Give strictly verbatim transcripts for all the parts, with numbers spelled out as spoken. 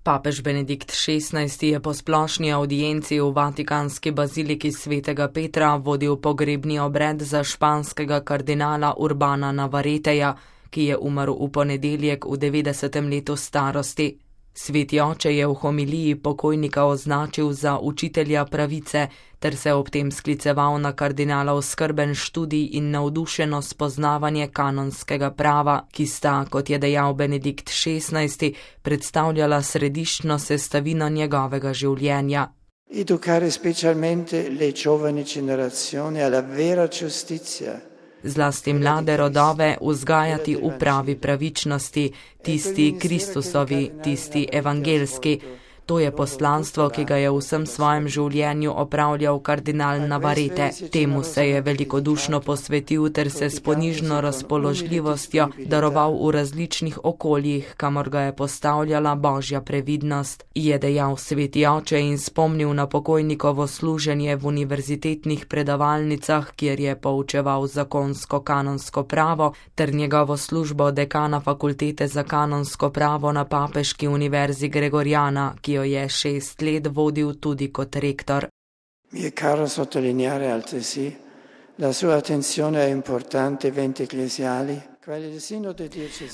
Papež Benedikt šestnajsti je po splošni avdienci v vatikanski baziliki svetega Petra vodil pogrebni obred za španskega kardinala Urbana Navareteja, ki je umrl v ponedeljek v devetdesetem letu starosti. Sveti oče je v homiliji pokojnika označil za učitelja pravice ter se ob tem skliceval na kardinalov skrben študij in navdušeno spoznavanje kanonskega prava, ki sta, kot je dejal Benedikt šestnajsti, predstavljala središčno sestavino njegovega življenja. Educare specialmente le giovani generazioni alla vera giustizia. Zlasti mlade rodove vzgajati v pravi pravičnosti, tisti Kristusovi, tisti evangelski. To je poslanstvo, ki ga je v vsem svojem življenju opravljal kardinal Navarete. Temu se je velikodušno posvetil ter se s ponižno razpoložljivostjo daroval v različnih okoljih, kamor ga je postavljala božja previdnost, je dejal sveti oče in spomnil na pokojnikovo služenje v univerzitetnih predavalnicah, kjer je poučeval zakonsko kanonsko pravo, ter njegovo službo dekana fakultete za kanonsko pravo na Papeški univerzi Gregoriana, ki jo je šest let vodil tudi kot rektor. Mi je caro sottolineare altresì la sua attenzione a importanti eventi ecclesiali.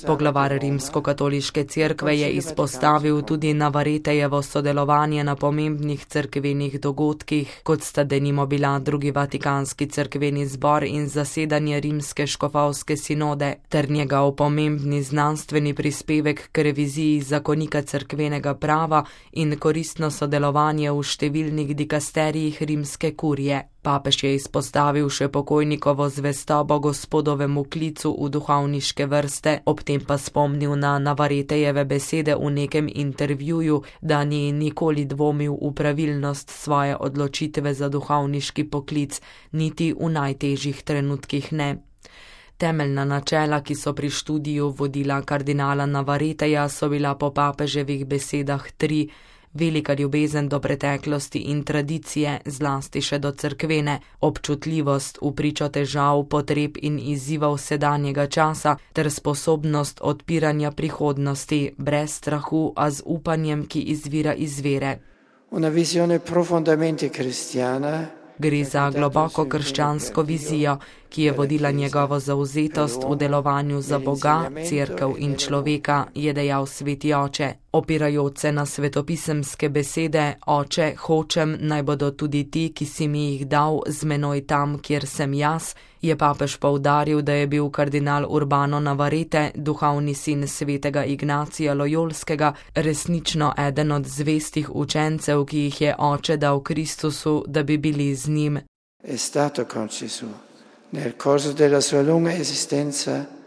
Poglavar Rimskokatoliške cerkve je izpostavil tudi Navaretejevo sodelovanje na pomembnih cerkvenih dogodkih, kot sta denimo bila drugi vatikanski cerkveni zbor in zasedanje Rimske škofovske sinode, ter njegov pomembni znanstveni prispevek k reviziji zakonika cerkvenega prava in koristno sodelovanje v številnih dikasterijih rimske kurije. Papež je izpostavil še pokojnikovo zvestobo gospodovemu klicu v duhovniške vrste, ob tem pa spomnil na Navaretejeve besede v nekem intervjuju, da ni nikoli dvomil v pravilnost svoje odločitve za duhovniški poklic, niti v najtežjih trenutkih ne. Temeljna načela, ki so pri študiju vodila kardinala Navareteja, so bila po papeževih besedah tri: velika ljubezen do preteklosti in tradicije, zlasti še do cerkvene, občutljivost v pričo težav, potreb in izzivov sedanjega časa ter sposobnost odpiranja prihodnosti, brez strahu, a z upanjem, ki izvira iz vere. Una visione profondamente cristiana. Gre za globoko krščansko vizijo, ki je vodila njegovo zauzetost v delovanju za Boga, cerkev in človeka, je dejal sveti oče. Opirajoč se na svetopisemske besede: Oče, hočem, naj bodo tudi ti, ki si mi jih dal, z menoj tam, kjer sem jaz, je papež poudaril, da je bil kardinal Urbano Navarete, duhovni sin svetega Ignacija Lojolskega, resnično eden od zvestih učencev, ki jih je oče dal Kristusu, da bi bili z njim. È stato con Gesù. Nel corso della sua lunga esistenza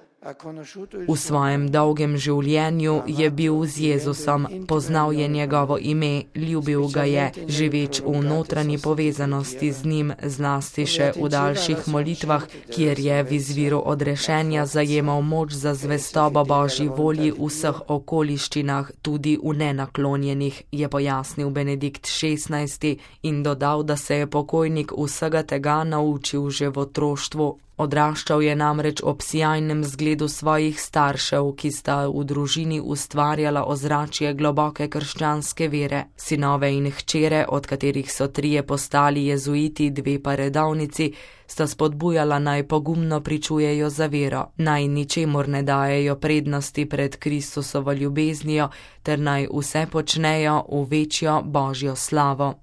V svojem dolgem življenju je bil z Jezusom, poznal je njegovo ime, ljubil ga je, živeč v notranji povezanosti z njim, zlasti še v daljših molitvah, kjer je v izviru odrešenja zajemal moč za zvestobo Božji volji v vseh okoliščinah, tudi v nenaklonjenih, je pojasnil Benedikt šestnajsti in dodal, da se je pokojnik vsega tega naučil že v otroštvu. Odraščal je namreč ob sijajnem zgledu svojih staršev, ki sta v družini ustvarjala ozračje globoke krščanske vere. Sinove in hčere, od katerih so trije postali jezuiti, dve pa redovnici, sta spodbujala naj pogumno pričujejo za vero, naj ničemur ne dajejo prednosti pred Kristusovo ljubeznijo ter naj vse počnejo v večjo Božjo slavo.